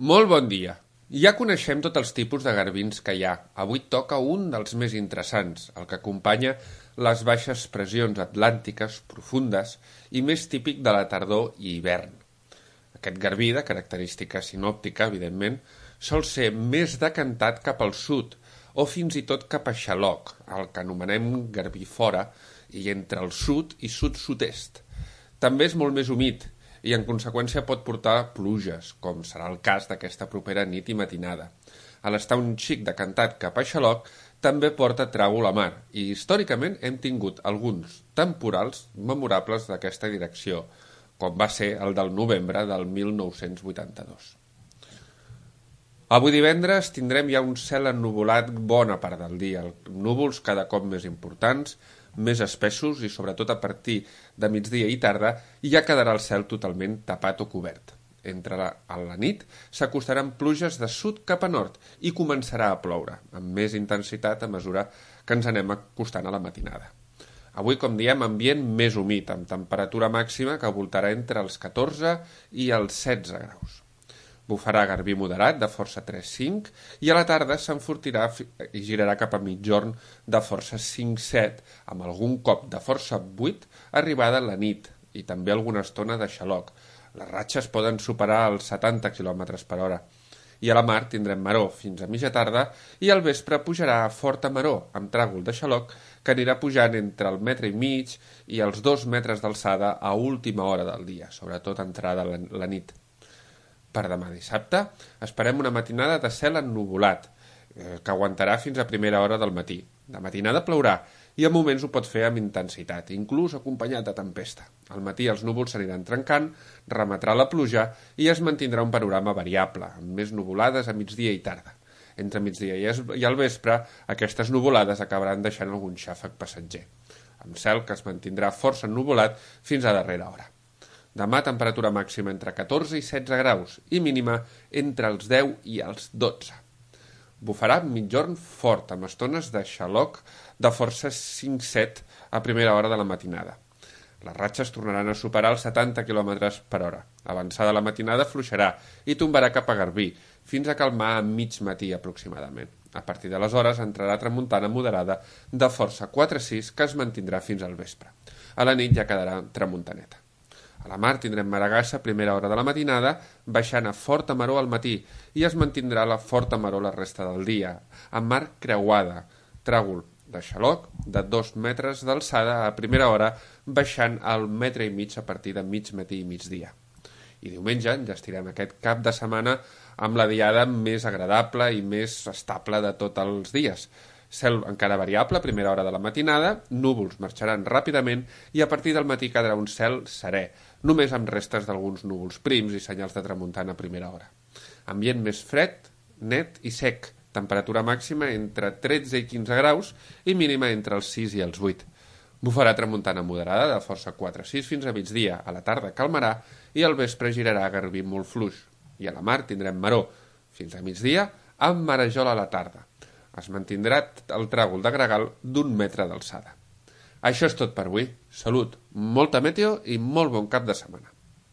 Molt bon dia. Ja coneixem tots els tipus de garbins que hi ha. Avui toca un dels més interessants, el que acompanya les baixes pressions atlàntiques profundes i més típic de la tardor i hivern. Aquest garbí, de característica sinòptica, evidentment, sol ser més decantat cap al sud o fins i tot cap a Xaloc, el que anomenem garbí fora, i entre el sud i sud-sud-est. També és molt més humit i en conseqüència pot portar pluges, com serà el cas d'aquesta propera nit i matinada. A l'estar un xic decantat cap a Xaloc, també porta tràgol a mar, i històricament hem tingut alguns temporals memorables d'aquesta direcció, com va ser el del novembre del 1982. Avui divendres tindrem ja un cel ennuvolat bona part del dia, núvols cada cop més importants, més espessos i sobretot a partir de migdia i tarda ja quedarà el cel totalment tapat o cobert. A la nit s'acostaran pluges de sud cap a nord i començarà a ploure, amb més intensitat a mesura que ens anem acostant a la matinada. Avui, com diem, ambient més humit, amb temperatura màxima que voltarà entre els 14 i els 16 graus. Bufarà garbí moderat de força 3-5 i a la tarda s'enfortirà i girarà cap a mitjorn de força 5-7 amb algun cop de força 8 arribada a la nit i també alguna estona de xaloc. Les ratxes poden superar els 70 km per hora. I a la mar tindrem maró fins a mitja tarda i al vespre pujarà a forta maró amb tràgol de xaloc que anirà pujant entre el 1,5 m i els 2 metres d'alçada a última hora del dia, sobretot entrada la nit. Per demà dissabte esperem una matinada de cel ennuvolat, que aguantarà fins a primera hora del matí. De matinada plourà i a moments ho pot fer amb intensitat, inclús acompanyat de tempesta. Al matí els núvols s'aniran trencant, remetrà la pluja i es mantindrà un panorama variable, amb més nuvolades a migdia i tarda. Entre migdia i al vespre, aquestes nuvolades acabaran deixant algun xàfec passatger, amb cel que es mantindrà força ennuvolat fins a darrera hora. Demà temperatura màxima entre 14 i 16 graus i mínima entre els 10 i els 12. Bufarà mitjorn fort amb estones de xaloc de força 5-7 a primera hora de la matinada. Les ratxes tornaran a superar els 70 km per hora. Avançada la matinada fluixarà i tombarà cap a Garbí, fins a calmar a mig matí aproximadament. A partir d'aleshores entrarà tramuntana moderada de força 4-6 que es mantindrà fins al vespre. A la nit ja quedarà tramuntaneta. A la mar tindrem maragassa a primera hora de la matinada, baixant a forta maró al matí, i es mantindrà la forta maró la resta del dia, amb mar creuada, tràgol de xaloc de 2 metres d'alçada a primera hora, baixant al 1,5 m a partir de mig matí i migdia. I diumenge enllestirem aquest cap de setmana amb la diada més agradable i més estable de tots els dies. Cel encara variable a primera hora de la matinada, núvols marxaran ràpidament i a partir del matí quedarà un cel serè, només amb restes d'alguns núvols prims i senyals de tramuntana a primera hora. Ambient més fred, net i sec, temperatura màxima entre 13 i 15 graus i mínima entre els 6 i els 8. Bufarà tramuntana moderada de força 4-6 fins a migdia, a la tarda calmarà i al vespre girarà a garbí molt fluix. I a la mar tindrem maró fins a migdia amb marejol a la tarda. Es mantindrà el tràgol de gregal d'1 metre d'alçada. Això és tot per avui. Salut, molta meteo i molt bon cap de setmana.